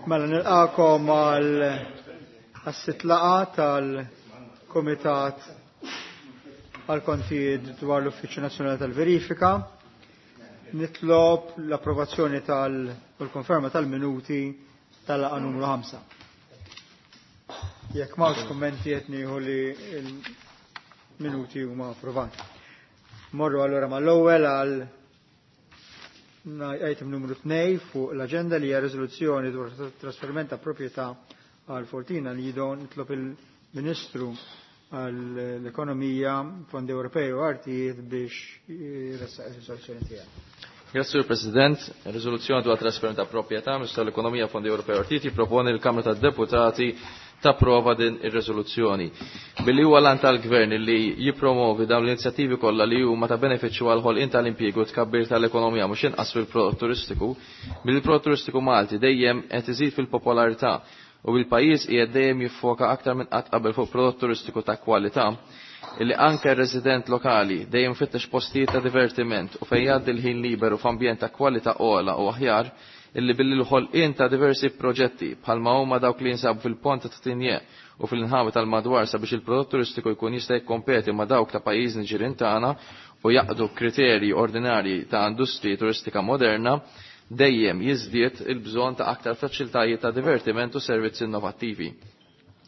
Mela nilqakom għal għas-sitt laqgħa tal-Kumitat għal kontijiet dwar l-Uffiċċju Nazzjonali tal-Verifika. Nitlob l-approvazzjoni tal u l-konferma tal-minuti tal-laqgħa numru 5. Jekk m'hawnx kummenti qed nieħu li l-minuti huma approvati. Morru allura mal-ewwel għal item numru 2 fuq l-agenda li hija riżoluzzjoni dwar trasferiment ta' proprjetà għal Fortina li jidon nitlob il-Ministru għall-Ekonomija, Fondi Ewropej u Artijiet biex jressaq ir-riżoluzzjoni tiegħu. Grazie, Sur President. Riżoluzzjoni dwar trasferiment ta' proprjetà Ministru tal-Ekonomija, Fondi Ewropej u Artijiet jipproponi l-Kamra tad-Deputati tapprova din ir-riżoluzzjoni. Billi huwa lan tal-Gvern li jippromovi dawn l-inizjattivi kollha li huma ta' benefiċċju għal ħolqien tal-impjiegu tkabbir tal-ekonomija mhux inqas fil-prodott turistiku, billi l-prodott turistiku Malti dejjem qed iżid fil-popolarità u bil-pajjiż qiegħed dejjem jiffoka aktar minn qatt qabel fuq prodott turistiku ta' kwalità illi anke r-resident lokali dejjem fittex postijiet ta' divertiment u fejn jgħaddi l-ħin liberu f'ambjent ta' kwalità ogħla u aħjar illi billi l-ħolqien ta' diversi proġetti bħalma huma dawk li jinsabu fil-Ponta ta' Tinje u fil-inħawi tal-madwar sabiex il-prodott turistiku jkun jista' jikkompeti ma' dawk ta' pajjiżni ġirien tagħna u jaqdu kriterji ordinarji ta' industriji turistika moderna dejjem jiżdied il-bżonn ta' aktar faċilitajiet ta' divertiment u servizzi innovattivi.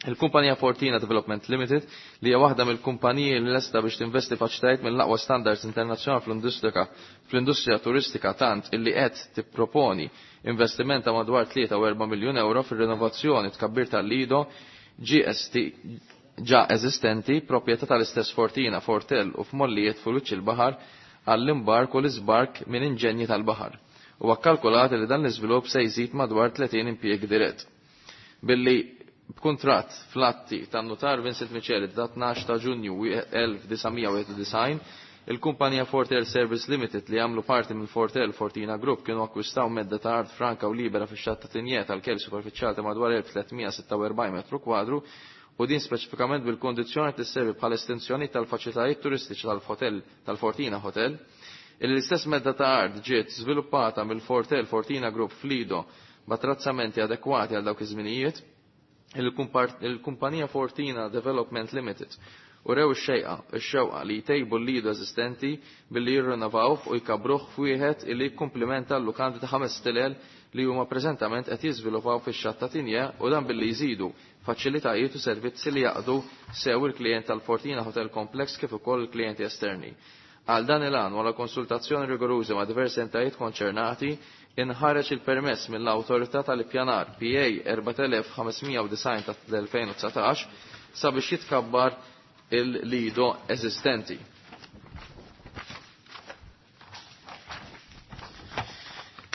Il-kumpanija Fortina Development Limited li hija waħda mill-kumpaniji li lesta biex tinvesti faċilitajiet mill-aqwa standards internazzjonali fl-industrija fl-industrija turistika tant illi qed tipproponi investiment ta' madwar 3 u 4 miljun euro fir-rinovazzjoni tkabbir tal-Lido GST ġa eżistenti proprjetà tal-istess Fortina, Fortel u f'mollijiet fuq wiċċ il-baħar għall-imbark u l-iżbark minn inġenji tal-baħar. Huwa kkalkulat li dan l-iżvilupp se jżid madwar 30 impjieg dirett. Billi b'kuntratt fl-atti tan-notar Vincent Micheli dat 12 ta' Ġunju 1991, il-kumpanija Fortel Service Limited li għamlu parti mill Fortel Fortina Group kienu akkwistaw medda ta' art franka u libera fix-xatt ta' Tinje tal-kel superfiċjali ta' madwar 1346 metru kwadru u din speċifikament bil-kondizzjoni tisservi bħala estensjoni tal-faċilitajiet turistiċi tal-hotel tal-Fortina Hotel. Illi l-istess medda ta' art ġiet żviluppata mill-Fortel Fortina Group f'Lido b'attrazzamenti adekwati għal dawk iż-żminijiet. Il-kumpanija Fortina Development Limited u rew ix-xejqa, ix-xewqa li jtejbu l-lido eżistenti billi jirrinnovawh u jkabruh f'wieħed illi jikkumplimenta l-lukandi ta' ħames stilel li huma preżentament qed jiżviluppaw fix-xatt ta' Tinje u dan billi jżidu faċilitajiet u servizzi li jaqdu sew il-klijent tal-Fortina Hotel Complex kif ukoll il-klijenti esterni. Għal dan il-għan wara konsultazzjoni rigoruża ma' diversi entitajiet konċernati, inħareġ il-permess mill-Awtorità tal-Ippjanar PA 4590 tal-2019 sabiex jitkabbar il-lido eżistenti.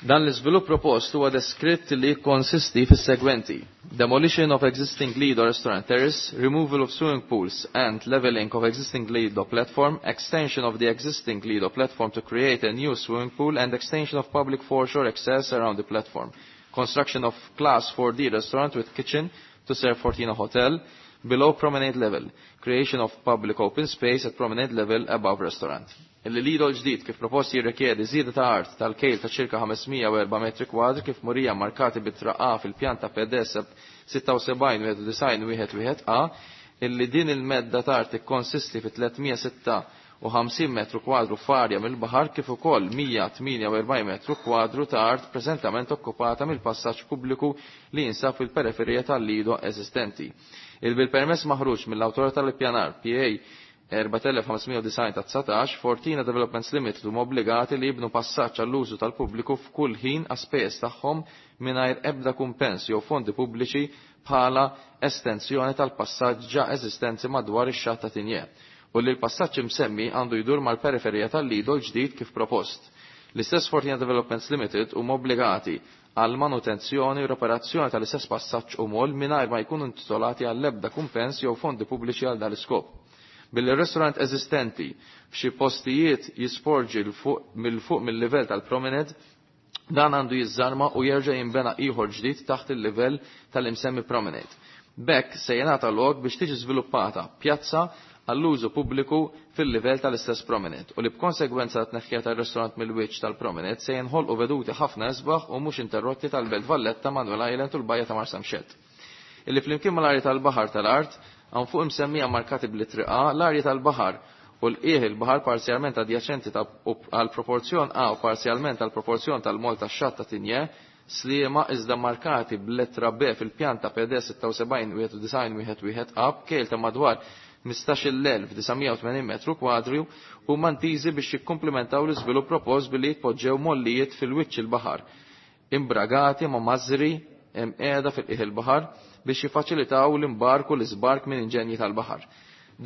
Dan l-iżvilupp propost huwa deskritt li jikkonsisti fis-segwenti: demolition of existing Lido restaurant terrace, removal of swimming pools and leveling of existing Lido platform, extension of the existing Lido platform to create a new swimming pool and extension of public foreshore access around the platform, construction of class 4D restaurant with kitchen to serve Fortina Hotel below promenade level, creation of public open space at promenade level above restaurant. Illi lido l-ġdid kif proposti jirrikjedi żieda ta' art tal-kejl ta' ċirka 504 metri kwadri kif murija markati bit-traqqa fil-pjanta PDS 76 A illi din il-medda ta' art ikkonsisti fi 356 metru kwadru f'arja mill-baħar kif ukoll 148 metru kwadru ta' art preżentament okkupata mill-passaġġ pubbliku li jinsab fil-periferija tal-lido eżistenti. Il-bil-permess maħruġ mill-Awtorità tal-Ippjanar PA 4590 ta' 19, Fortina Developments Limited huma obbligati li jibnu passaġġ għall-użu tal-pubbliku f'kull ħin għas-spejjeż tagħhom mingħajr ebda kumpens jew fondi pubbliċi bħala estensjoni tal-passaġġ ġa eżistenti madwar ix-xatt ta' Tinje u li l-passaġġ imsemmi għandu jdur mal-periferija tal-Lido l-ġdid kif propost. L-istess Fortina Developments Limited huma obbligati għal manutenzjoni u reparazzjoni tal-istess passaġġ u mol mingħajr ma jkunu intitolati għall-ebda kumpens jew fondi pubbliċi għal dal-iskop. Billi r-restaurant eżistenti f'xi postijiet jisporġi mill-fuq mill-livell tal-promenade, dan għandu jiżżarma u jerġa' jinbena ieħor ġdid taħt il-livell tal-imsemmi promenade. B'hekk se jingħata lok biex tiġi żviluppata pjazza għall-użu pubbliku fil-livell tal-istess promenade u li b'konsegwenza tneħħija tar-restorant mill-wiċċ tal-promenade se jinħolqu veduti ħafna isbaħ u mhux interrotti tal-Belt Valletta, Manuel Island u l-Bajja ta' Marsamxett. Illi flimkien mal-arja tal-baħar tal-art hawn fuq imsemmija markati bl-itri A, l-arja tal-baħar u l-qieħ il-baħar parzjalment adjaċenti għal proporzjon A u parzjalment għal proporzjon tal-mol tax-xatt ta' Tinje, Sliema iżda markati bl-lettra B fil-pjanta PD 76 91 11 A b'kejl ta' madwar 15,980 metru kwadru u mantiżi biex jikkumplementaw l-iżvilupp propost billi jitpoġġew mollijiet fil-wiċċ il-baħar imbragati ma' mażri qiegħda fil-qiegħ il-baħar biex jiffaċilitaw l-imbark u l-iżbark minn inġenji tal-baħar.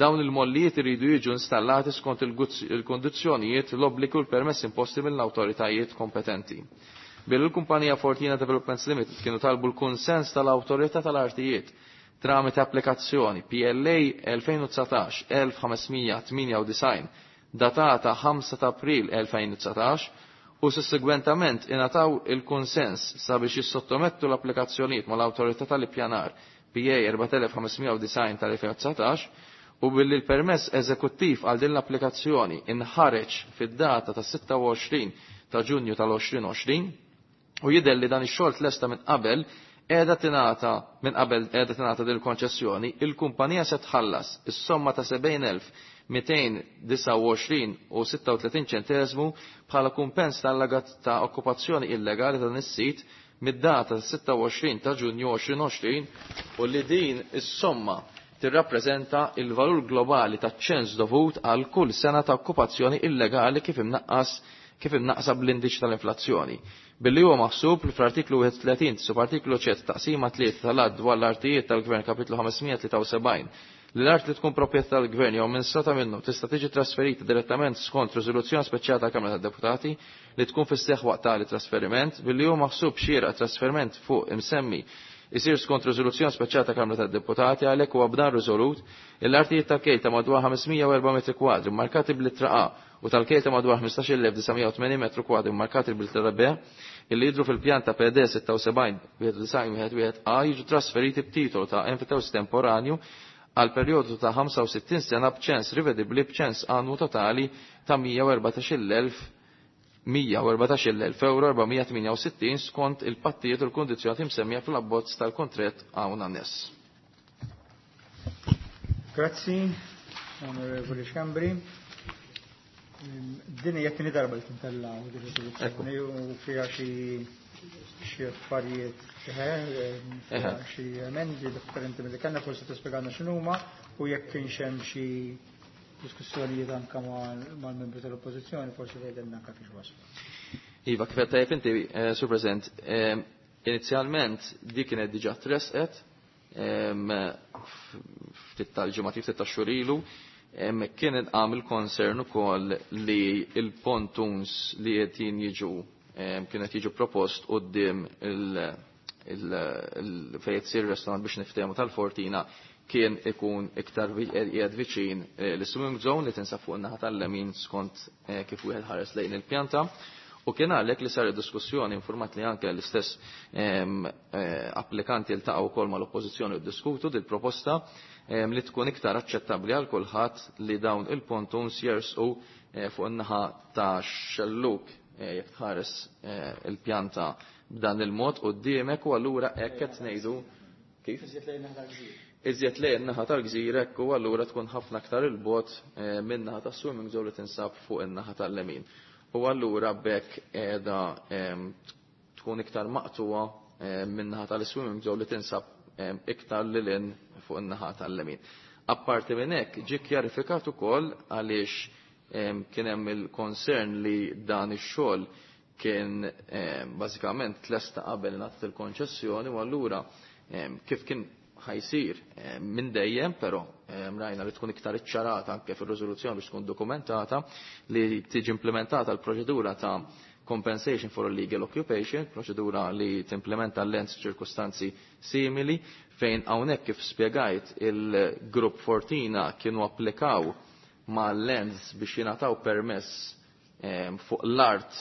Dawn il-mollijiet iridu jiġu installati skont il-kondizzjonijiet, l-obbligu u l-permess imposti mill-awtoritajiet kompetenti. Billi l-kumpanija Fortina Developments Limited kienu talbu l-kunsens tal-awtorità tal-artijiet tramite applikazzjoni PLA 2019-1598 datata 5 ta' April 2019 u sussegwentament ingħataw il-kunsens sabiex jissottomettu l-applikazzjonijiet mal-awtorità tal-ippjanar PA 4590 tal-2019 u billi l-permess eżekuttiv għal din l-applikazzjoni inħareġ fid-data ta' 26 ta' Ġunju tal-2020 u jidher li dan ix-xogħol tlesta minn qabel qiegħda tingħata minn qabel qiegħda tingħata din il-konċessjoni, il-kumpanija se tħallas is-somma ta' 70,229 u 36 ċenteżmu bħala kumpens tal-lagat ta' okkupazzjoni illegali ta' dan is-sit mid-data 26 ta' Ġunju 2020 u li din is-somma tirrappreżenta il-valur globali taċ-ċens dovut għal kull sena ta' okkupazzjoni illegali kif imnaqqas kif imnaqsa bl-indiċi tal-inflazzjoni. Billi huwa maħsub li fl-artiklu 31 subartiklu ċet taqsima 3 tal-att dwar l-artijiet tal-Gvern kapitlu 573 li l-art li tkun proprjetà tal-Gvern jew amministrata minnu tista' tiġi trasferita direttament skont riżoluzzjoni speċjali tal-Kamra tad-Deputati li tkun fis-seħħ waqt tali trasferiment, billi huwa maħsub xieraq trasferiment fuq imsemmi isir skont riżoluzzjoni speċjali tal-Kamra tad-Deputati, għalhekk huwa b'dan riżolut l-artijiet tal-kejl ta' madwar 504 metri kwadri markati bl-ittra A u tal-kejl ta' madwar 15,980 metru kwadri markati bl-ittra B illi jidhru fil-pjan ta' PD 76 91 A jiġu trasferiti b'titolu ta' enfitewsis temporanju għal perjodu ta' 65 sena b'ċens rivedibbli b'ċens annwu totali ta' 114,000 euro 468 skont il-pattijiet u l-kondizzjoni msemmija fl-abbozz tal-kontrett hawn anness. Grazzi, Onorevoli Schembri. Din hija t-tieni darba li tintella din riżoluzzjoni u fiha xi affarijiet fiha xi emendi differenti milli kellna, forsi tispjegana x'inhuma u jekk kienx hemm xi diskussjonijiet anke mal-membri tal-Oppożizzjoni, forsi tgħidilna anke fiex waslu. Iva, kif qed tajjeb inti, Sur President, inizjalment dik kienet diġà tresqet ftit tal-ġimgħat, ftit tax-xhur ilu, kien inqam il-concern ukoll li il-pontuns li qed jiġu kienet jiġu propost quddiem il fejn tsir restaurant biex niftehmu tal-Fortina kien ikun iktar qiegħed viċin l-swimming zone li tinsab fuq in-naħa tal-lemin skont kif wieħed ħares lejn il-pjanta. U kien għalhekk li sar diskussjoni informat li anke l-istess applikanti ltaqgħu wkoll mal-oppożizzjoni u ddiskutu dil proposta li tkun iktar aċċettabbli għal kulħadd li dawn il-pontuns jersqu fuq in-naħa ta' xelluk jekk tħares il-pjanta b'dan il-mod quddiemek u allura hekk qed ngħidu kif? Iżjed lejn in-naħa tal-gżira hekk u allura tkun ħafna aktar il-bogħod min-naħa tas-swimming zone li tinsab fuq in-naħa tal-lemin. U allura b'hekk qiegħda tkun iktar maqtuwa min-naħa tal-swimming zone li tinsab iktar lil hinn fuq in-naħa tal-lemin. Apparti minn hekk ġie kjarifikat ukoll għaliex kien hemm il-concern li dan ix-xogħol kien bażikament tlesta qabel ngħatat il-konċessjoni u allura kif kien ħajsir minn dejjem, però rajna li tkun iktar iċċarata anke fir-riżoluzzjoni biex tkun dokumentata li tiġi implementata l-proċedura ta' compensation for illegal occupation, proċedura li timplementa l-lens ċirkustanzi simili, fejn hawnhekk kif spjegajt il-grupp Fortina kienu applikaw ma' lens biex jingħataw permess fuq l-art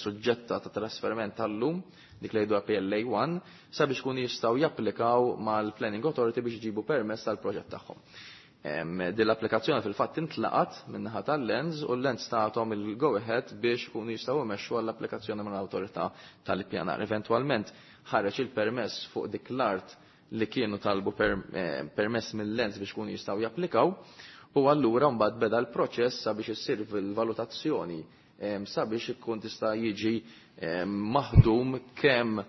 suġġetta ta' trasferiment tal-lum, dik li jgħidu PLA 1, sabiex kun jistgħu japplikaw mal-Planning Authority biex jġibu permess tal-proġett tagħhom. Din l-applikazzjoni fil-fatt intlaqat min-naħa tal-Lands u l-Lands tagħhom il-go ahead biex ikunu jistgħu jmexxu għall-applikazzjoni mill-awtorità tal-ippjanar. Eventwalment ħareġ il-permess fuq dik l-art li kienu talbu permess mill-Lands biex ikunu jistgħu japplikaw u allura mbagħad beda l-proċess sabiex issir il-valutazzjoni sabiex ikun tista' jiġi maħdum kemm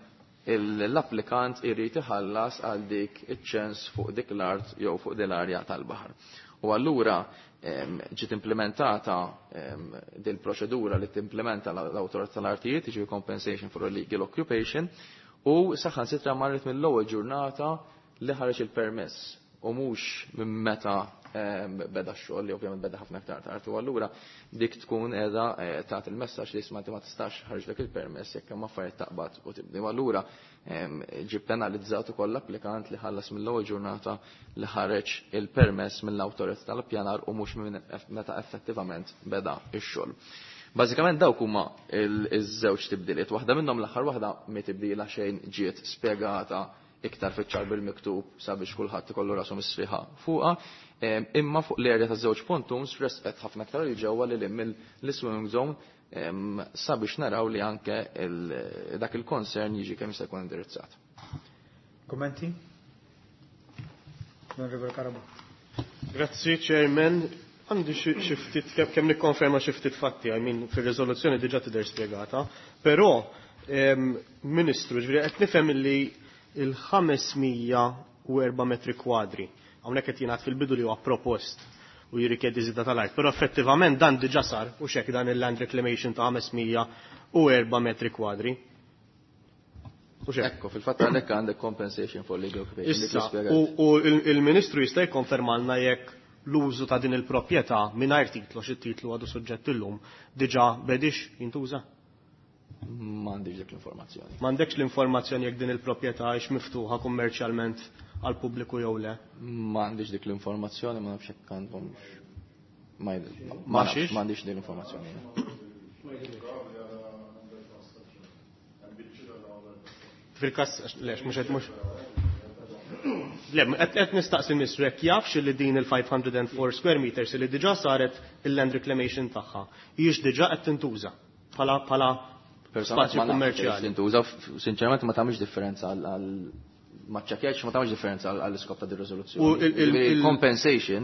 l-applikant irid iħallas għal dik iċ-ċens fuq dik l-art jew fuq din l-arja tal-baħar. U allura ġiet implementata din proċedura li timplementa l-awtorità tal-artijiet, jiġifieri compensation for illegal occupation, u saħansitra marret mill-ewwel ġurnata li ħareġ il-permess u mhux minn meta beda x-xogħol li ovvjament beda ħafna aktar tard. U allura dik tkun qiegħda tagħti il-messaġġ li isma' ma tistax ħarġlek il-permess jekk hemm affarijiet taqbad u tibni. U allura ġie penalizzat ukoll l-applikant li ħallas mill-ewwel ġurnata li ħareġ il-permess mill-awtorità tal-ippjanar u mhux minn meta effettivament beda x-xogħol. Bażikament dawk huma iż-żewġ tibdiliet. Waħda minnhom l-aħħar waħda mi tibdila xejn ġiet spjegata iktar fiċ-ċar bil-miktub sabiex kulħadd ikollu rasu misriħa fuqha, imma fuq l-area ta' żewġ pontoons resqet ħafna aktar il ġewwa li mill-swimming zone sabiex naraw li anke dak il-concern jiġi kemm jista' jkun indirizzat. Kommenti? Onorevole Carabott. Grazzi, Chairman. Għandi xi ftit kemm nikkonferma xi ftit fatti, I mean fir-riżoluzzjoni diġà tidher spjegata, però Ministru, ġifieri qed nifhem li il-504 metri kwadri. Hawnhekk qed jingħad fil-bidu li huwa propost u jirrikjedi żieda tal-art, però effettivament dan diġà sar u xek dan il-land reclamation ta' 504 metri kwadri. U xek. Ekku, fil-fatt għandek għandek compensation for legal occupation. Issa, u il-Ministru jista' jikkonfermalna jekk l-użu ta' din il-proprjetà mingħajr titlu, xi titlu għadu suġġett illum, diġà bedix jintuża? M'għandix dik l-informazzjoni. M'għandekx l-informazzjoni jekk din il-proprjetà hix miftuħa kummerċjalment għal pubbliku jew le? M'għandix dik l-informazzjoni, ma nafx jekk għandhom. Ma Ma nafx, m'għandix dik l-informazzjoni. Fil-każ, lex, mhux qed mhux. Le, qed nistaqsi l-Ministru jekk jafx li din il-504 square meters li diġà saret il-land reclamation tagħha, hijiex diġà qed tintuża bħala Personalment spazju ma nafx kummerċjali. Tintuża, sinċerament ma tagħmilx differenza għal ma ċċekkjatx, ma tagħmilx differenza għall iskop ta' din riżoluzzjoni. U Ġifieri compensation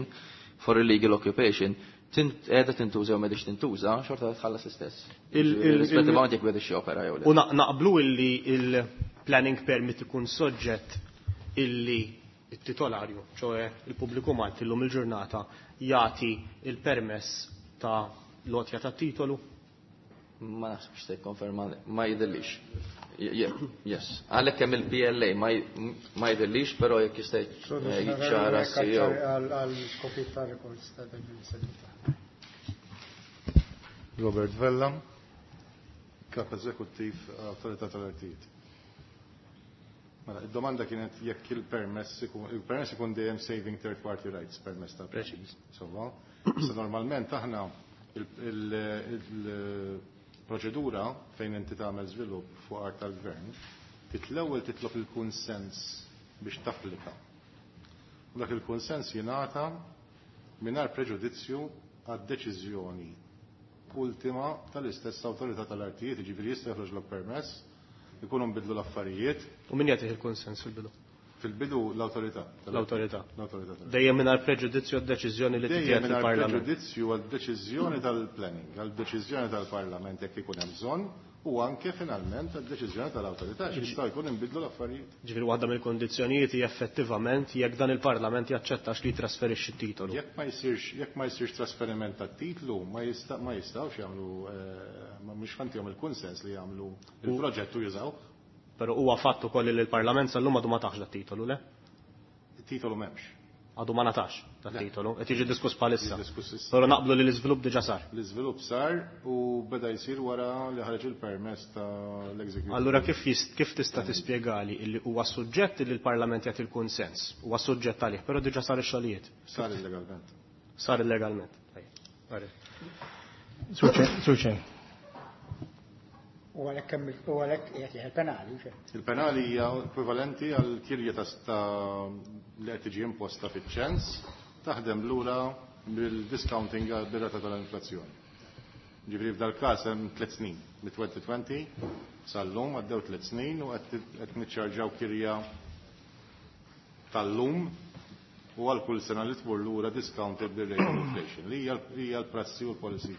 for illegal occupation qiegħda tintuża jew m'għedix tintuża, xorta tħallas l-istess. Rispettivament jekk beda xi opera jew le. U naqblu illi il-planning permit ikun soġġett illi it-titolarju, ċoe il-pubbliku Malti llum il-ġurnata jagħti il-permess ta' lotja ta' titolu? Ma naħsibx se jikkonferma, ma jidhirlix. Yes. Għalhekk hemm il-PLA ma jidhirlix, però jekk jista' jiċċara CEO. Għal skopijiet ta' records ta' din is-seduta. Robert Vella, Kap Eżekuttiv Awtorità tal-Artijiet. Mela, id-domanda kienet jekk il-permess ikun dejjem saving third party rights permess ta' Preċiż. Insomma, issa normalment aħna il-proċedura fejn inti tagħmel żvilupp fuq art tal-gvern, titl-ewwel titlob il-kunsens biex tapplika. U dak il-kunsens jingħata mingħajr preġudizzju għad-deċiżjoni ultima tal-istess awtorità tal-artijiet, jiġifieri jista' joħroġlok permess, ikunu nbidlu l-affarijiet. U min jagħtih il-kunsens fil-bidu? Fil-bidu l-awtorità. L-awtorità. L-awtorità tal-artijiet. Dejjem mingħajr preġudizzju għad-deċiżjoni li Dejjem tittieħed mingħajr fil-Parlament. preġudizzju għad-deċiżjoni tal-planning, għad-deċiżjoni tal-Parlament jekk ikun hemm bżonn, u anke finalment għad-deċiżjoni tal-awtorità, xi jistgħu jkun inbidlu l-affarijiet. Ġifieri waħda mill-kondizzjonijiet hija effettivament jekk dan il-Parlament jaċċettax li jitrasferixxi t-titolu. Jekk ma jsirx trasferiment tat-titlu, ma jistgħux jagħmlu ma mhux fantihom il-kunsens li jagħmlu il-proġett u jużaw. Però huwa fatt ukoll li l-Parlament sal-lum għadu ma tax dat-titolu, le? Il-titolu m'hemmx. Għadu ma natax dat-titolu, qed jiġi diskuss bħalissa. Jiġi diskuss issa. Però naqblu li l-iżvilupp diġà sar. L-iżvilupp sar u beda jsir wara li ħareġ il-permess tal-executive. Allura kif tista' tispjegali illi huwa suġġett li l-Parlament jagħti l-kunsens, huwa suġġett għalih, però diġà sar ix-xogħlijiet. Sar illegalment. Sar illegalment. Suċe. U għalhekk kemm il-, u għalhekk qiegħed jieħed il-penali, u xejn. Il-penali hija ekwivalenti għal kirja ta' li qed tiġi imposta fiċ-ċens Taħdem lura bil-discounting bir-rata tal-inflazzjoni. Ġifieri f'dal-każ hemm 3 snin, mit-2020 sal-lum għaddew 3 snin u qed niċċarġaw kirja tal-lum u għal kull sena li tmur lura discounted bir-rate of inflation li hija l-prassi u l-policy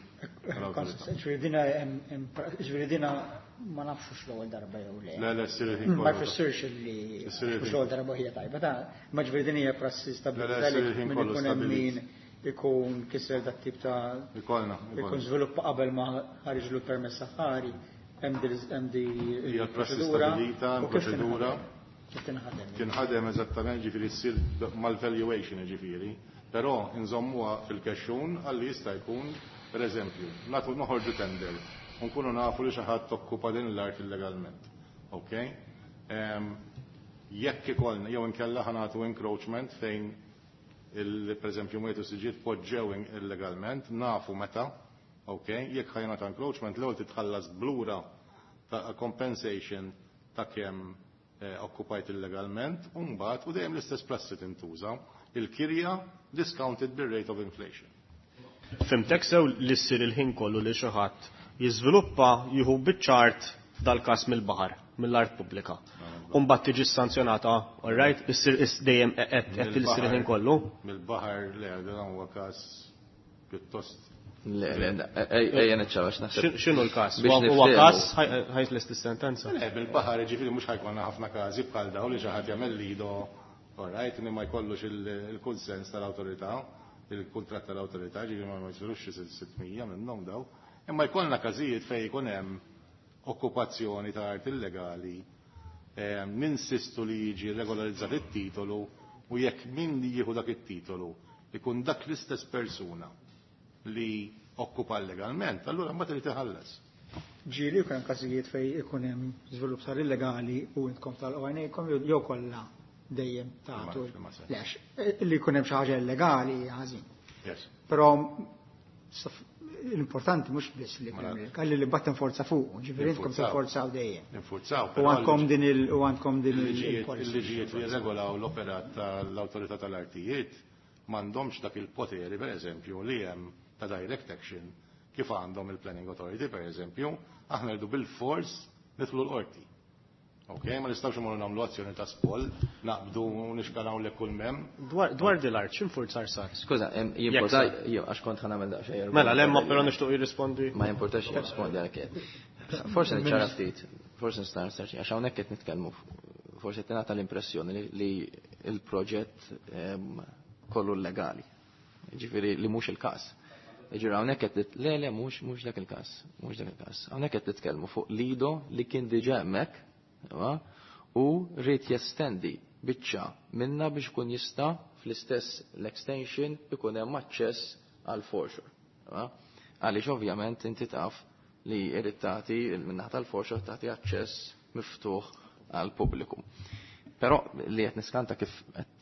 tal-awtorità. Ġifieri dina ma nafx l-ewwel darba jew le. Le, le, ssir il-ħin Ma kollu. jfissirx li Issir il-ħin. mhux l-ewwel darba hija tajba, ta' ma ġifieri din hija prassi Le, le, stabilita ssir li il-ħin min kollu ikun hemm stabilit. min ikun kisser dat tip ta' Ikollna, ikun ikollna. żviluppa qabel ma ħariġlu permess saħħari hemm di Hija prassi proċedura stabilita, u kif proċedura. tinħadem? Kif tinħadem? Tinħadem eżattament ġifieri ssir mal-valuation ġifieri, però nżommuha fil-kexxun għalli jista' jkun, per eżempju, nagħtu noħorġu tender u nkunu nafu li xi ħadd okkupa din l-art illegalment. Ok? Jekk ikollna jew inkella ħa nagħtu encroachment fejn il per eżempju mwietu siġiet poġġew illegalment, nafu meta, ok? Jekk ħa jingħata encroachment l-ewwel titħallas blura ta' compensation ta' kemm okkupajt illegalment, u mbagħad u dejjem l-istess prassi tintuża, il-kirja discounted bir-rate of inflation. Fhimtek sew li ssir il-ħin kollu li xi ħadd jiżviluppa jieħu biċ-ċart f'dal-każ mill-baħar, mill-art pubblika. U mbagħad tiġi sanzjonata, all right, issir dejjem qed issir il-ħin kollu. Mill-baħar le, dan huwa każ pjuttost Le, le, ejja niċċarax naħseb. X'inhu l-każ? Biex Huwa niftehmu. każ ħajt l-istess sentenza. Le, bil-baħar ġifieri mhux ħa jkollna ħafna każi bħal dawn li xi ħadd jagħmel lido, all right, li ma jkollux il-kunsens tal-awtorità, il-kuntratt tal-awtorità, ġifieri ma jsirux xi 600 minnhom daw. Imma jkollna każijiet fejn jkun hemm okkupazzjoni ta' art illegali, ninsistu li jiġi regolarizzat it-titolu u jekk min li jieħu dak it-titolu ikun dak l-istess persuna li okkupa legalment, allura mbagħad irid iħallas. Ġieli jkun hemm każijiet fejn ikun hemm żvilupp sar illegali u intkom tal-għajnejkom jew kollha dejjem tagħtu. Ma sex. Lex, li jkun hemm xi ħaġa illegali hija ħażin. Yes. Però l-importanti mhux biss li jkun hemm illegali, li mbagħad tinforza fuq, ġifieri intkom Ninfurzaw. tinforzaw dejjem. Ninfurzaw, U però għandkom din il u għandkom din il-policy. il-liġijiet li jirregolaw l-operat tal-awtorità tal-artijiet m'għandhomx dak il-poteri, per eżempju, li hemm ta' direct action kif għandhom il-Planning Authority, per eżempju, aħna rridu bil-fors nidħlu l-qorti. Ok, ma nistgħux imorru nagħmlu azzjoni ta' spoll, naqbdu u nixkanaw le kull mem. Dwar dil-art, x'infurzar sar? Skuża, jimporta, Jekk jew għax kont ħa nagħmel daqsxejn. Mela, lemma però nixtieq jirrispondi. Ma jimportax jirrispondi għalhekk. Forsi niċċara ftit, forsi nista' nistaqsi, għax hawnhekk qed nitkellmu, forsi qed tingħata l-impressjoni li l-proġett kollu legali. Ġifieri li mhux il-każ. Ġifieri hawnhekk qed le le mhux dak il-każ, mhux dak il-każ. Hawnhekk qed nitkellmu fuq lido li kien diġà hemmhekk, u rrid jestendi biċċa minna biex ikun jista' fl-istess l-extension ikun hemm aċċess għal foreshore. Għaliex ovvjament inti taf li jrid tagħti min-naħa tal-foreshore tagħti aċċess miftuħ għal pubbliku. Però li qed niskanta kif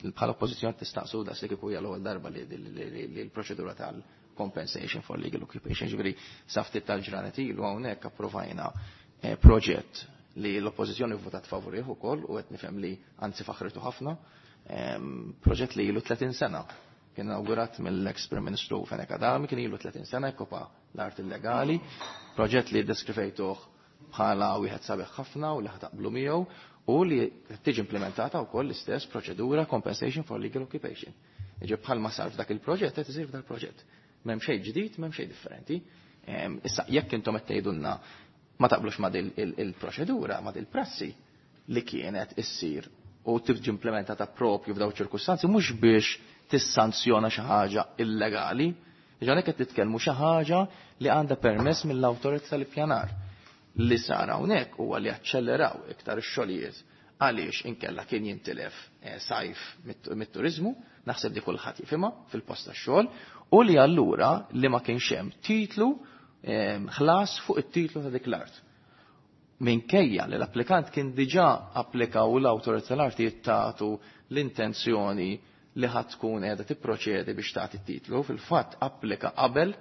bħala oppożizzjoni tistaqsu daqs li kieku hija l-ewwel darba li l-proċedura tal-compensation for legal occupation, ġifieri sa ftit tal-ġranet ilu hawnhekk approvajna proġett li l-oppożizzjoni votat favorih ukoll u qed nifhem li anzi faħritu ħafna, proġett li ilu 30 sena. Kien inawgurat mill-ex Prim Ministru Fenech Adami, kien ilu 30 sena jkopa l-art illegali, proġett li deskrivejtuh bħala wieħed sabiħ ħafna u li ħataqblu miegħu u li tiġi implementata wkoll l-istess proċedura compensation for legal occupation. Jiġi bħalma sar f'dak il-proġett qed isir f'dak il-proġett. M'hemm xejn ġdid, m'hemm xejn differenti. Issa jekk intom qed tgħidulna ma taqblux ma' il-proċedura, ma' il-prassi li kienet issir u tiġi implementata propju f'daw ċirkustanzi mhux biex tissanzjona xi ħaġa illegali, ġanek qed titkellmu xi ħaġa li għandha permess mill-awtorità tal-ippjanar. Li sar hawnhekk huwa li aċċelleraw iktar ix-xogħlijiet għaliex inkella kien jintilef sajf mit-turizmu, naħseb di kulħadd jifhimha fil-post tax-xogħol, u li allura li ma kienx hemm titlu ħlas fuq it-titlu ta' dik l-art. Minkejja li l-applikant kien diġà applika u l-awtorità tal-artijiet tagħtu l-intenzjoni li ħadd tkun qiegħda tipproċedi biex tagħti t-titlu, fil-fatt applika qabel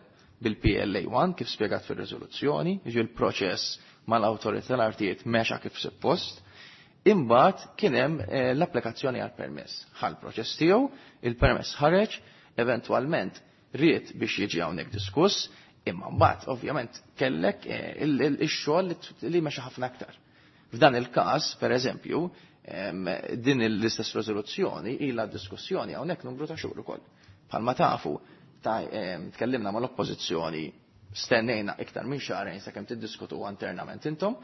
bil-PLA 1 kif spjegat fir-riżoluzzjoni, jiġi l-proċess mal-awtorità tal-artijiet mexa kif suppost. Imbagħad kien hemm l-applikazzjoni għal permess. Ħa l-proċess tiegħu, il-permess ħareġ, Eventwalment ried biex jiġi hawnhekk diskuss, imma mbagħad ovvjament kellek ix-xogħol li mexa ħafna aktar. F'dan il-każ, per eżempju, din l-istess riżoluzzjoni ilha diskussjoni hawnhekk numru ta' xhur ukoll. Bħalma tafu, tkellimna mal-oppożizzjoni, stennejna iktar minn xahrejn sakemm tiddiskutu internament intom,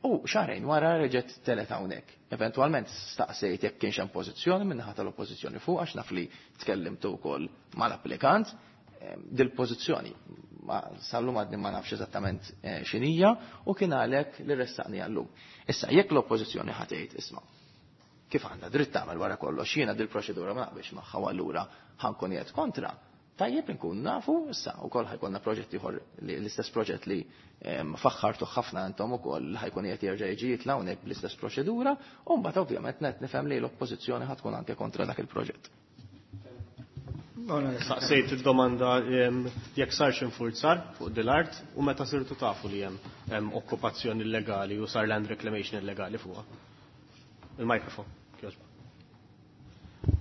u xahrejn wara reġgħet telet hawnhekk. Eventwalment staqsejt jekk kienx hemm pożizzjoni min-naħa tal-oppożizzjoni fuq għax naf li tkellimtu wkoll mal-applikant, dil-pożizzjoni sal-lum għadni ma nafx eżattament x'inhija u kien għalhekk li ressaqni għallum. Issa jekk l-oppożizzjoni ħa tgħid isma' kif għandha dritt tagħmel wara kollox jiena dil-proċedura ma naqbilx magħha u allura ħa nkun qiegħed kontra, tajjeb inkun nafu issa wkoll ħa jkollna proġett ieħor l-istess proġett li faħħartu ħafna intom ukoll ħa jkun qiegħed jerġa' jiġi jitla' hawnhekk bl-istess proċedura u mbagħad ovvjament net nifhem li l-oppożizzjoni ħa tkun anke kontra dak il-proġett. Saqsejt id-domanda jekk sarx infurzar fuq dil-art u meta sirtu tafu li hemm okkupazzjoni illegali u sar land reclamation illegali fuqha. Il-mikrofon, kjoġba.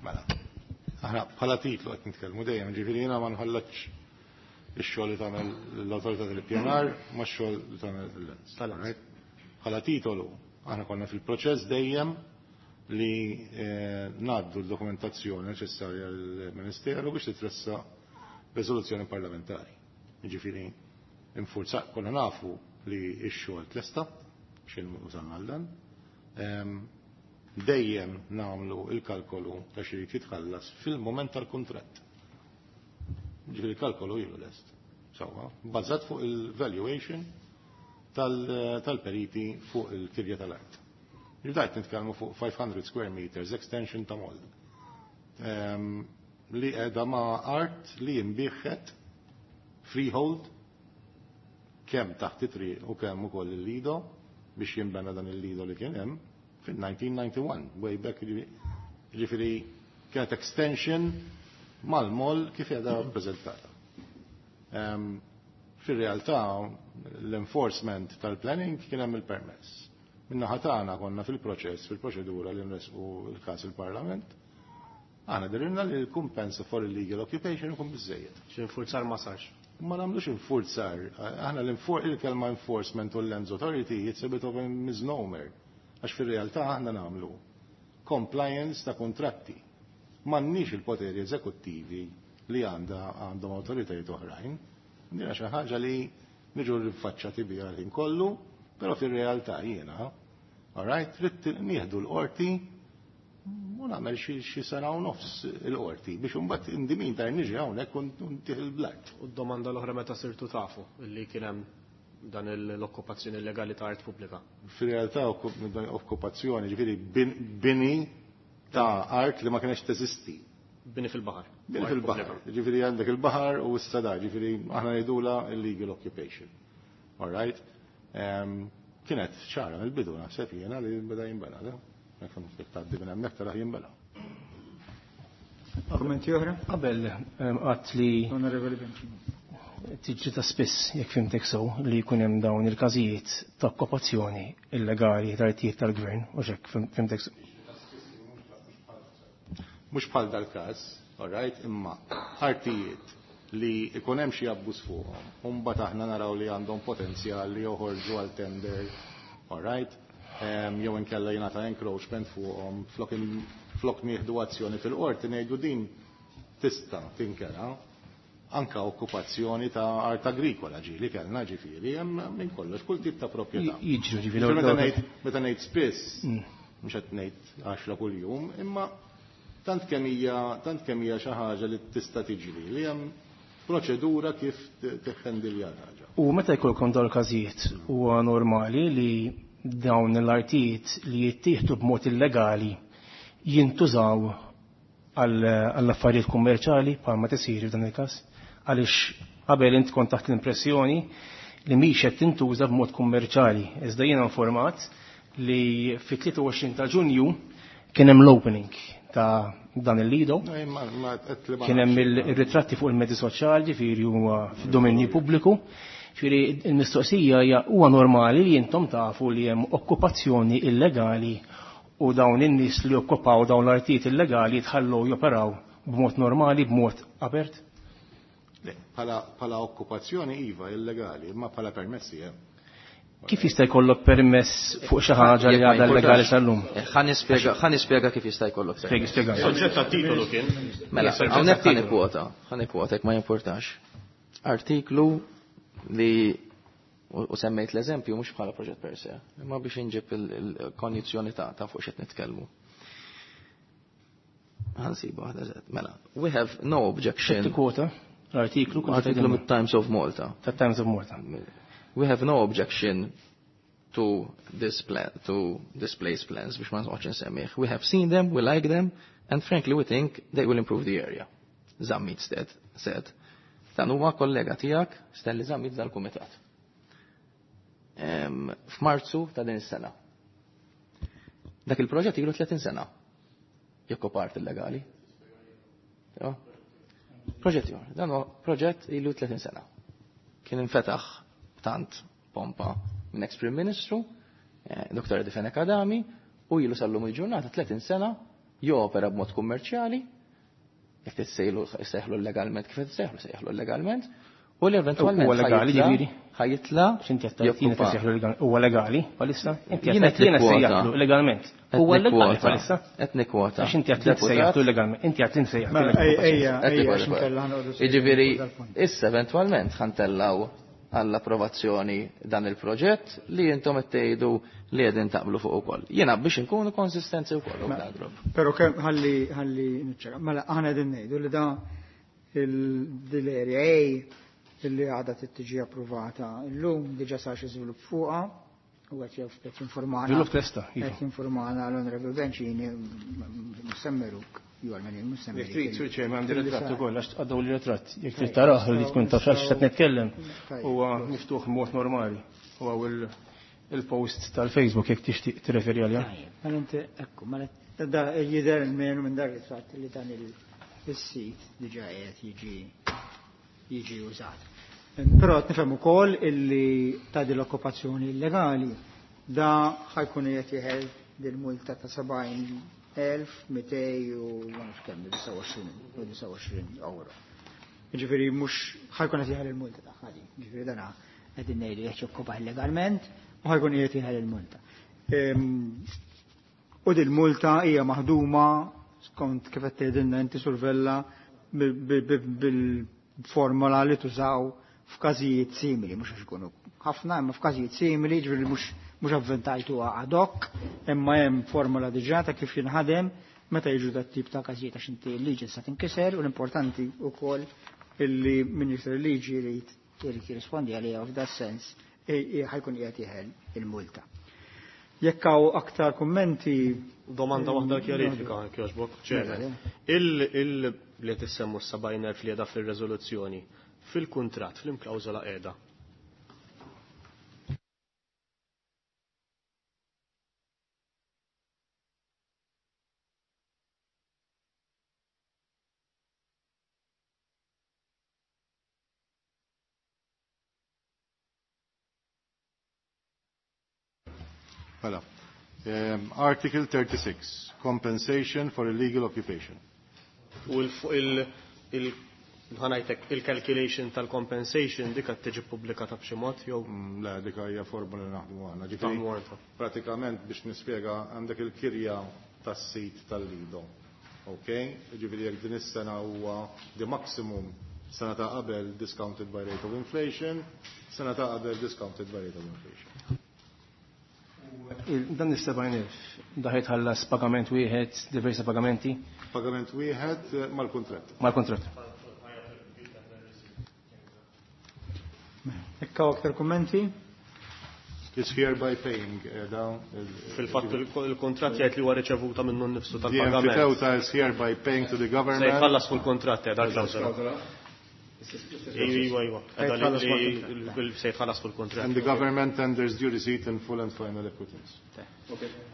Mela, aħna bħala titlu qed nitkellmu dejjem, ġifieri jiena ma nħallatx ix-xogħol li tagħmel l-awtorità tal-ippjanar ma x-xogħol li tagħmel l-Lands. Tal-Lands. Bħala titolu, aħna konna fil-proċess dejjem li ngħaddu l-dokumentazzjoni neċessarja l-Ministeru biex titressaq riżoluzzjoni parlamentari. Jiġifieri infurza konna nafu li x-xogħol tlesta xejn użanna għal dan. Dejjem nagħmlu il-kalkolu ta' xi jrid jitħallas fil-moment tal-kuntratt. Ġifieri il-kalkolu ilu lest. Sewwa, bbażat fuq il-valuation tal-periti fuq il-kirja tal-art. Ġdajt nitkellmu fuq 500 square meters extension ta' moll. Li qiegħda ma' art li jinbiħet freehold kemm taħt it-triq u kemm ukoll il-lido biex jinbena dan il-lido li kien hemm fil-1991, way back, ġifieri kienet extension mal-moll kif qiegħda rappreżentata. Fir-realtà l-enforcement tal-planning kien hemm il-permess. Minna tagħna konna fil-proċess, fil-proċedura li nresqu l-każ il-Parlament. Aħna dirinna li l-kumpensa for illegal occupation ikun biżejjed. X'infurzar ma sarx. Ma nagħmlux infurzar. Aħna il-kelma enforcement u l-Lands Authority it's a bit of a misnomer. Għax fir-realtà aħna nagħmlu compliance ta' kontratti. M'għandniex il-poteri eżekuttivi li għandhom awtoritajiet oħrajn. Dina xi ħaġa li niġu rinfaċċati biha l-ħin kollu, però fir-realtà jiena, all right, trid nieħdu l-qorti u nagħmel xi sena u nofs il-qorti biex imbagħad indimin tar niġi hawnhekk u ntih il-blat. U d-domanda l-oħra meta sirtu tafu li kien hemm dan l-okkupazzjoni illegali ta' art pubblika? Fir-realtà okkupazzjoni, ġifieri bini ta' art li ma kienx teżisti. Bini fil-baħar. Bini fil-baħar. Ġifieri għandek il-baħar u s-sada, ġifieri aħna ngħidula illegal occupation. All right? Kienet ċara mill-bidu naħseb jiena li beda jinbena, le? Jekk tgħaddi minn hemmhekk taraħ jinbena. Kommenti oħra? Qabel qatt li Onorevoli Bencini. Tiġri ta' spiss, jekk fimtek sew, li jkun hemm dawn il-każijiet ta' okkupazzjoni illegali ta' artijiet tal-gvern, u x'hekk fimtek sew. Mhux bħal dal-każ, all right, imma artijiet li ikun hemm xi abbuż fuqhom, u mbagħad aħna naraw li għandhom potenzjal li joħorġu għal tender, all right, jew inkella jingħata encroachment fuqhom, flok nieħdu azzjoni fil-qorti ngħidu din tista' tinkera anka okkupazzjoni ta' art agrikola ġieli kellna ġifieri hemm minn kollox kull tip ta' proprjetà. Jiġru ġifieri Meta ngħid spiss, mhux qed ngħid 10 kuljum, imma tant kemm hija xi ħaġa li tista' tiġri li hemm proċedura kif teħħendilja l-ħaġa. U meta jkollkom dawn il-każijiet huwa normali li dawn l-artijiet li jittieħdu b'mod illegali jintużaw għall-affarijiet kummerċali bħalma tisir f'dan il-każ? Għaliex qabel int kont taħt l-impressjoni li mhix qed tintuża b'mod kummerċali. Iżda jiena informat li fit-23 ta' Ġunju kien hemm l-opening ta' dan il-lido. Kien hemm ir-ritratti fuq il-mezzi soċjali, ġifieri huwa fid-dominju pubbliku. Ġifieri il-mistoqsija hija huwa normali li intom tafu li hemm okkupazzjoni illegali u dawn in-nies li okkupaw dawn l-artijiet illegali jitħallu joperaw b'mod normali, b'mod apert? Le, bħala okkupazzjoni iva illegali, imma bħala permessi hemm. Kif jista' jkollok permess fuq xi ħaġa li għadha illegali sal-lum? Ħa nispjega kif jista' jkollok permess. Spjega. Soġġett tat-titolu kien. Mela, hawnhekk ħa nikkwota, ħa nikkwota jekk ma jimpurtax. Artiklu li u semmejt l-eżempju mhux bħala proġett per se, imma biex inġib il-konjizzjoni ta' fuq x'qed nitkellmu. Ħa nsibu waħda eżatt. Mela, we have no objection. Tikkwota l-artiklu Artiklu mit-Times of Malta. tat-Times of Malta. We have no objection to this plan, to this place plans, biex ma nqgħodx insemmih. We have seen them, we like them, and frankly we think they will improve the area. Zammit said. Dan huwa kollega tiegħek Stanley Zammit dal-kumitat. F'Marzu ta' din is-sena. Dak il-proġett ilu 30 sena. Jekk part illegali. Proġett ieħor. Dan huwa proġett ilu 30 sena. Kien infetaħ tant pompa minn ex-Prim Ministru, Dr. Eddie Fenech Adami, u ilu sal-lum il-ġurnata 30 sena jopera b'mod kummerċjali, jekk tissejlu sejħlu legalment kif tissejħlu sejħlu legalment, u li eventwalment Huwa legali ġifieri? ħa jitla' X'inti qed tgħid jiena tissejħlu legalment. Huwa legali bħalissa? Inti Jiena qed jiena nikkwota. sejjaħlu legalment. Huwa legali bħalissa? Qed nikkwota. Għax inti qed sejjaħlu legalment. Inti qed insejjaħlu Mela, legalment. ejja, Qed ejja, nikkwota. għax inkella ħa noqogħdu Jiġifieri, fuq dal-punt. issa eventwalment ħa ntellgħu għall-approvazzjoni dan il-proġett li intom qed tgħidu li qegħdin taqblu fuq ukoll. Jiena biex inkunu konsistenti wkoll u grupp. Pero kemm ħalli ħalli niċċara. Mela aħna qegħdin ngħidu li da il-area A illi għadha tiġi approvata llum diġà sar xi żvilupp fuqha u qed jew qed jinformana. Żvilupp testa, iva. Qed jinformana l-Onorevole Bencini Semmeruk, ju għal Semmeruk. Jekk trid, Sur Chairman, għandi ritratt ukoll għax għaddew li ritratt. Jekk trid tarah li tkun taf għax qed nitkellem. Huwa miftuħ mod normali. Huwa il-post tal-Facebook jekk tixtieq tirreferi għalija. Mela inti, ekku, mela Da jidher il-menu minn dak il-fatt li dan il-sit diġà qiegħed jiġi użat. Però qed nifhem ukoll illi ta' din l-okkupazzjoni illegali da ħa jkun qiegħed jeħel dil-multa ta' 70,200 u ma nafx kemm, 29 euro. Jiġifieri mhux ħa jkun qed jeħel il-multa tagħha din. Jiġifieri dan qegħdin ngħidu jekk jokkupa illegalment u ħa jkun qiegħed jeħel il-multa. U dil-multa hija maħduma skont kif qed tgħidilna inti Sur Vella bil-formola li tużaw f'każijiet simili, mhux għax ikunu ħafna, imma f'każijiet simili, ġifieri mhux avventajtuha ad hoc, imma hemm formola diġà ta' kif jinħadem meta jiġu dat tip ta' każijiet għax inti l-liġi sa tinkiser u l-importanti wkoll illi min jikser il-liġi jrid jirrispondi għaliha u f'da sens ħa jkun qiegħed jeħel il-multa. Jekk hawn aktar kummenti. Domanda waħda kjarifika, kjoġbok. Mela, Il li tissemmu s-70,000 li qiegħda fil-rezoluzzjoni, fil-kuntratt, fil-klawżola qiegħda. Mela. Article 36, compensation for illegal occupation. U ħa ngħidlek il-calculation tal-compensation dik qed tiġi pubblikata b'xi mod jew Le, dik hija formula li naħdmu aħna. Ġifieri, Taħdmu għandha. pratikament biex nispjega għandek il-kirja tas-sit tal-Lido. Ok? Ġifieri jekk din is-sena huwa the maximum sena ta' qabel discounted by rate of inflation, sena ta' qabel discounted by rate of inflation. Dan is-70,000 daħet ħallas pagament wieħed, diversi pagamenti? Pagament wieħed mal-kuntratt. Mal-kuntratt. Jekk hawn aktar kummenti? Is hereby paying dawn Fil-fatt il-kuntratt jgħid li huwa riċevuta minnu nnifsu The tal-pagament. Enfiteuta is hereby paying to the government. Se jħallas fuq il-kuntratt dak klawżola. Iva, iva. Se jħallas fuq Se jħallas fuq il-kuntratt. And the government tenders due receipt in full and final acquittance.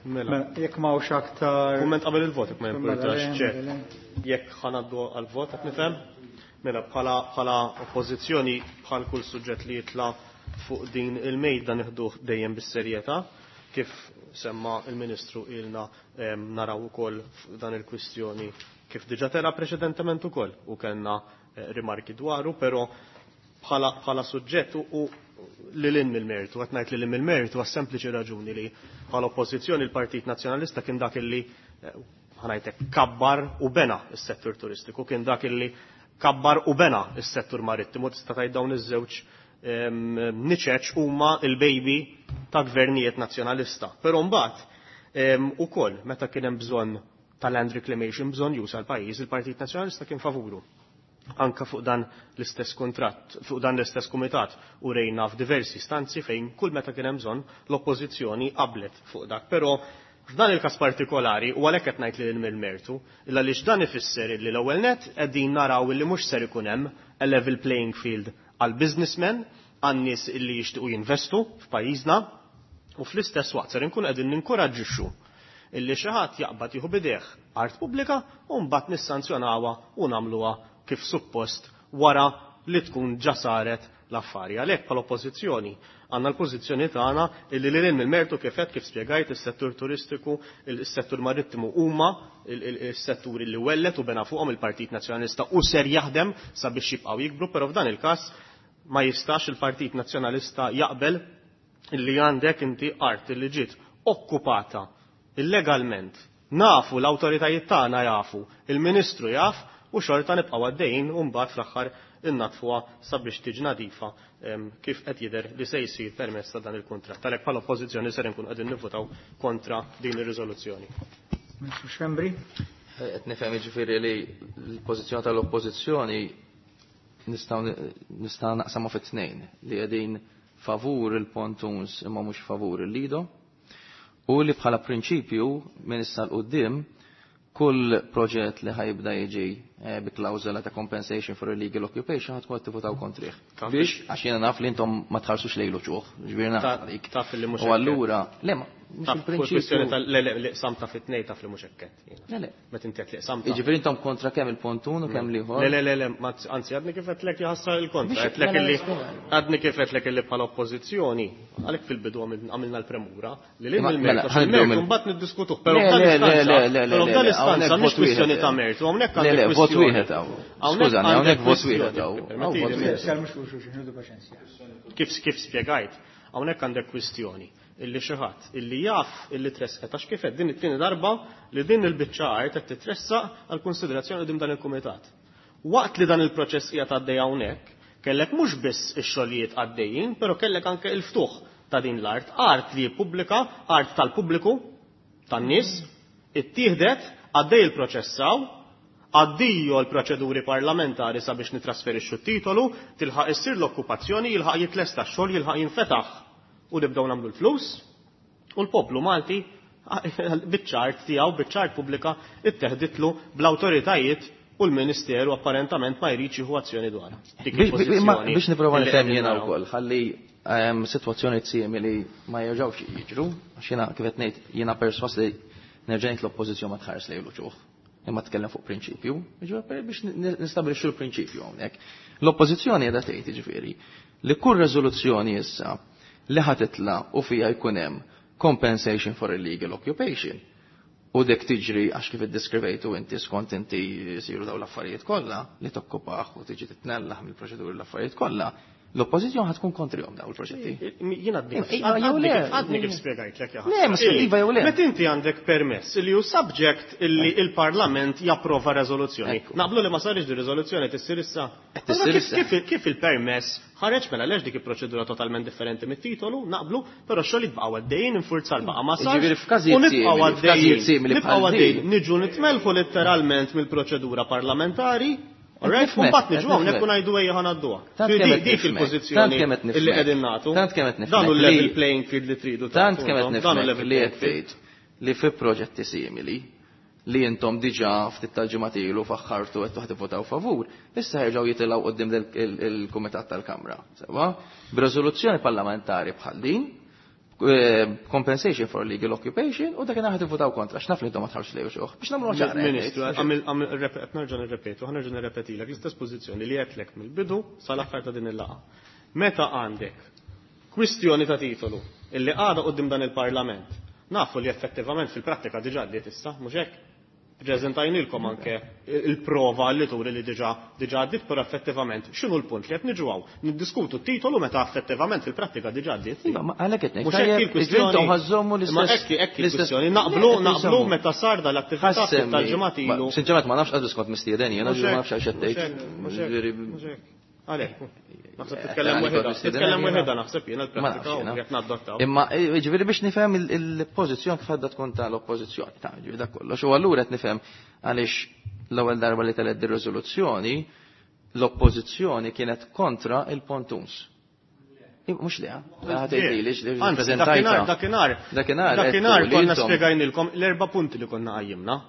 Mela. Mela, jekk m'hawnx aktar Kumment qabel il-vot, jekk ma Mela, jimpurtax, le, ċer. mela, Jekk ħa ngħaddu għal-vot, qed nifhem? Mela, bħala oppożizzjoni, bħal kull suġġett li jitla' fuq din il-mejda nieħduh dejjem bis-serjetà. Kif semma il-Ministru ilna naraw ukoll dan il-kwistjoni kif diġà tela preċedentement ukoll u kellna rimarki dwaru, però bħala suġġett u lil hinn mill-mertu, qed ngħid lil hinn mill-mertu għas-sempliċi raġuni li bħala oppożizzjoni l-Partit Nazzjonalista kien dak illi ħa ngħidlek kabbar u bena s-settur turistiku, kien dak illi kabbar u bena s-settur marittimu, tista' tgħid dawn iż-żewġ niċeċ huma il-baby ta' gvernijiet nazzjonalista. Però mbagħad ukoll meta kien hemm bżonn tal-land reclamation, bżonn jusa l-pajjiż, il-Partit Nazzjonalista kien favuru. Anka fuq dan l-istess kontratt, fuq dan l-istess kumitat u rejna f'diversi stanzi fejn kull meta kien hemm bżonn l-oppożizzjoni qablet fuq dak. Però f'dan il-każ partikolari, u għalhekk qed ngħid lil mill-mertu, illa għaliex dan ifisser li l-ewwel net qegħdin naraw li mhux ser ikun hemm a level playing field għal businessmen, għan nies illi jixtiequ jinvestu f'pajjiżna, u fl-istess waqt ser inkun qegħdin ninkoraġġixxu illi xi ħadd jaqbad jieħu bidejh art pubblika u mbagħad nissanzjonawha u nagħmluha kif suppost wara li tkun ġa saret l-affari. Għalhekk bħala oppożizzjoni għandna l-pożizzjoni tagħna illi lil hinn mill-mertu kif qed kif spjegajt is-settur turistiku, is-settur marittimu huma is-setturi li wellet u bena fuqhom il-Partit Nazzjonalista u ser jaħdem sabiex jibqgħu jikbru, però f'dan il-każ ma jistax il-Partit Nazzjonalista jaqbel illi għandek inti art li ġiet okkupata illegalment. Nafu l-awtoritajiet tagħna jafu, il-Ministru jaf u xorta nibqgħu għaddejjin u mbagħad fl-aħħar innatfuha sabiex tiġi nadifa kif qed jidher li se jsir permezz ta' dan il-kuntratt. Għalhekk bħala oppożizzjoni ser inkunu qegħdin nivvutaw kontra din ir-riżoluzzjoni. Ministru Schembri. Qed nifhem jiġifieri li l-pożizzjoni tal-oppożizzjoni nistgħu naqsamha fi tnejn li qegħdin favur il-pontuns imma mhux favur il-lido u li bħala prinċipju minn issa l quddiem kull proġett li ħajibda jiġi bi klawżola ta' compensation for illegal occupation ħatkun qed tivvutaw kontrih. Biex għax jiena naf li intom ma tħarsux lejlu ċuħ, ġifieri naf għalik. Taf li mhux U hekk. allura, le ma, mhux Taf, il-prinċipju. kwestjoni tal- le, le, li qsam ta' fit-tnej taf li mhux hekk qed, jiena. Le, le. Meta inti qed li qsam ta' Jiġifieri intom kontra kemm il-pontun u kemm l-ieħor? Le, le, le, le, ma anzi, għadni kif qedlek jaħsar il-kontra, Biex qedlek mela illi niskuża. għadni kif qedlek illi bħala oppożizzjoni, għalhekk fil-bidu għamilna l-premura, li lil Imma, il-mertu, mela, għax ħanibdew il-mertu mill- mbagħad niddiskutuh, però Le, f'dan le, le, l-istanza, le, le, però le, f'dan le, l-istanza hawnhekk mhix vot wieħed, kwistjoni ta' mertu, hawnhekk Le, għandek le, vot kwistjoni. wieħed hawn. Hawnhekk Skużani, għandek hawnhekk vot kwistjoni. wieħed hawn. Hawn vot Permettili, wieħed. Sal mhux fuq xulxin, ħudu paċenzja. Kif spjegajt, hawnhekk għandek kwistjoni illi xi ħadd illi jaf illi tressqet għax kif qed din it-tieni darba li din il-biċċa art qed titressaq għal konsiderazzjoni qudiem dan il-kumitat. Waqt li dan il-proċess qiegħed għaddej hawnhekk, kellek mhux biss ix-xogħlijiet għaddejjin, però kellek anke il-ftuħ ta' din l-art, art li pubblika, art tal-pubbliku, tan-nies, ittieħdet għaddej il-proċessaw, għaddiju l-proċeduri parlamentari sabiex nitrasferixxu t-titolu, tilħaq issir l-okkupazzjoni, jilħaq jitlesta x-xogħol, jilħaq jinfetaħ u nibdew nagħmlu l-flus, u l-poplu Malti biċ-ċart tiegħu, biċ-ċart pubblika itteħditlu bl-awtoritajiet u l-Ministeru apparentament ma jridx jieħu azzjoni dwarha. Dik il-pożizzjoni Biex nipprova li nifhem qegħdin jiena naraw. wkoll, ħalli sitwazzjoni simili ma jerġgħux jiġru, għax jiena kif qed ngħid jiena perswas li nerġa' ngħid l-oppożizzjoni ma tħares lejlu ċuħ. Imma tkellem fuq prinċipju, jiġifieri biex nistabilixxu l-prinċipju hawnhekk. L-oppożizzjoni qiegħda tgħid jiġifieri li kull riżoluzzjoni issa li ħa titla' u fija jkun hemm compensation for illegal occupation. U dek tiġri għax kif iddeskrivejtu inti skont inti jsiru dawn l-affarijiet kollha li tokkupaħ u tiġi titnellaħ mill-proċeduri l-affarijiet kollha, l-oppożizzjoni ħad tkun kontrihom dawn il-proġetti. Jien għadni kif Iva, jew le. għadni kif spjegajtlek, ja Le, ma ħasra. iva jew le. Meta inti għandek permess li hu subject illi il-Parlament japprova riżoluzzjoni. Ekku. Naqblu li ma sarix di riżoluzzjoni tissir issa. Qed tissir Allora issa. Kif il-permess ħareġ mela lex dik il-proċedura totalment differenti mit-titolu, naqblu, però x-xogħol jibqgħu għaddejjin, infurzar baqa' ma sarx. Jiġifieri f'każijiet U nibqgħu simili, għaddejjin, f'każijiet simili nibqgħu bħal għaddejjin, din. niġu nitmelħu letteralment mill-proċedura parlamentari. Alright, nifhmek, u mbagħad niġu qed hawnhekk nifhmek. u ngħidu ejja ħa ngħadduha. Tant Dik kemm qed dik nifhmek, il-pożizzjoni tant kemm qed illi nifhmek, qegħdin nagħtu. tant kemm qed Dan hu nifhmek l-level li- playing field li tridu Tant tagħtu kemm qed intom, dan hu nifhmek level li playing qed field. tgħid li fi proġetti simili li intom diġà ftit tal-ġimgħat ilu faħħartu qed toħdu votaw favur, issa jerġgħu jitilgħu quddiem il-Kumitat tal-Kamra. Sewa, b'riżoluzzjoni parlamentari bħal din, compensation for legal occupation, u dak ħad tivvutaw kontra, x'naf li intom ma tħarx lejn xuħ. Biex nagħmlu ċara. Ministru, qed nerġa' nirrepetu, ħa nerġa' nirrepetilek l-istess pożizzjoni li għedtlek mill-bidu sal-aħħar ta' din il-laqgħa. Meta għandek Kwistjoni ta' titolu illi għada qudiem dan il-Parlament. Nafu li effettivament fil-prattika diġà għaddiet issa, mhux hekk? Preżentajnilkom anke il-prova li turi li diġà diġà għaddiet, però effettivament x'inhu l-punt li qed niġu hawn? Niddiskutu t-titolu meta effettivament fil-prattika diġà għaddiet. Iva, ma għalhekk qed ngħid. Mhux hekk il-kwistjoni. Intom ħażommu Ma l-istess. hekk hekk il-kwistjoni. Naqblu naqblu meta sar dal-attività Ħassemmi. tal-ġimgħat ilu. Sinċerament ma nafx għadu skont mistieden jiena, ġifieri ma nafx għax qed tgħid. Ġifieri- Mhux hekk. Għalhekk. Naħseb titkellem Għalhekk weħida. mistieden Titkellem jiena. weħida naħseb jiena Ma nafx l-prattika u jiena. qed nadottaw. Imma ġifieri biex nifhem il-pożizzjoni kif għadha tkun tal-oppożizzjoni, ta' ġifieri dak kollox. U allura qed nifhem għaliex l-ewwel darba li telet dir-riżoluzzjoni l-oppożizzjoni kienet kontra il-pontuns. Mhux le, ħatejtili li Anzi, preżentajta. dakinhar, dakinhar. Dakinhar, Dakinhar għedtu li konna intom- spjegajnilkom l-erba' punti li konna qajjimna.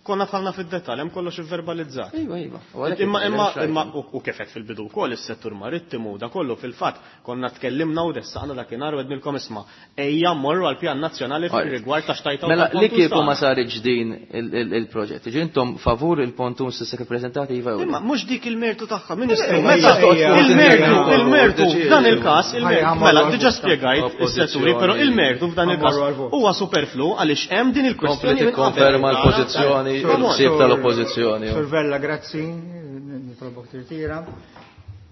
Konna tħallna fid-dettall, hemm kollox ivverbalizzat. Iva, iva. U għalhekk Imma qed imma ngħid, imma u kif qed fil-bidu wkoll is-settur marittimu da kollu fil-fatt konna tkellimna u ressaqna dakinhar u għednilkom isma' ejja mmorru għall-pjan nazzjonali fir-rigward ta' xtajta u Mela, li tal-pontuns kieku ma tagħna. saritx din il-proġett, ġi intom favur il-pontuns issa kif prezentati iva jew le? Imma mhux dik il-mertu tagħha, Ministru, Ejja, meta ejja, il-mertu, ejja, il-mertu ejja, f'dan il-każ, il-mertu, Ejja, mela ħammorru diġà għal-vot. spjegajt is-setturi, però il-mertu f'dan il-każ Ħammorru għal-vot. huwa superflu għaliex hemm din Kompli il-kwestjoni minn qabel. tikkonferma l-pożizzjoni, Come on. il-ħsieb tal-oppożizzjoni. Sur Vella, grazzi, nitolbok tirtira.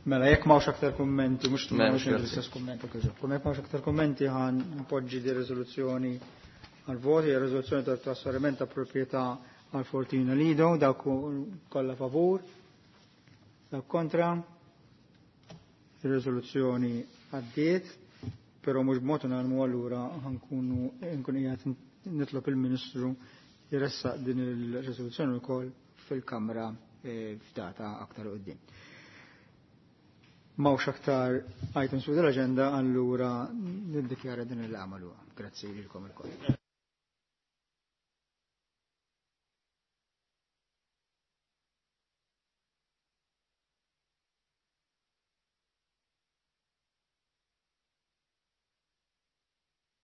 Mela, jekk m'hawnx aktar kummenti, mhux M'hemmx, mhux grazzi. l-istess kummenti kif Jekk m'hawnx aktar kummenti ħan npoġġi di riżoluzzjoni għal voti, hija riżoluzzjoni tal trasferiment ta' proprjetà għal Fortina Lido, dawk kollha favur, dawk kontra. Ir-riżoluzzjoni għaddiet, però mhux b'mod unanimu allura ħankunu nkun qiegħed nitlob il-Ministru jressaq din il-riżoluzzjoni wkoll fil-Kamra f'data aktar quddiem. M'hawnx aktar items fuq l-aġenda allura niddikjara din il-għamalu. Grazzi lilkom ilkoll.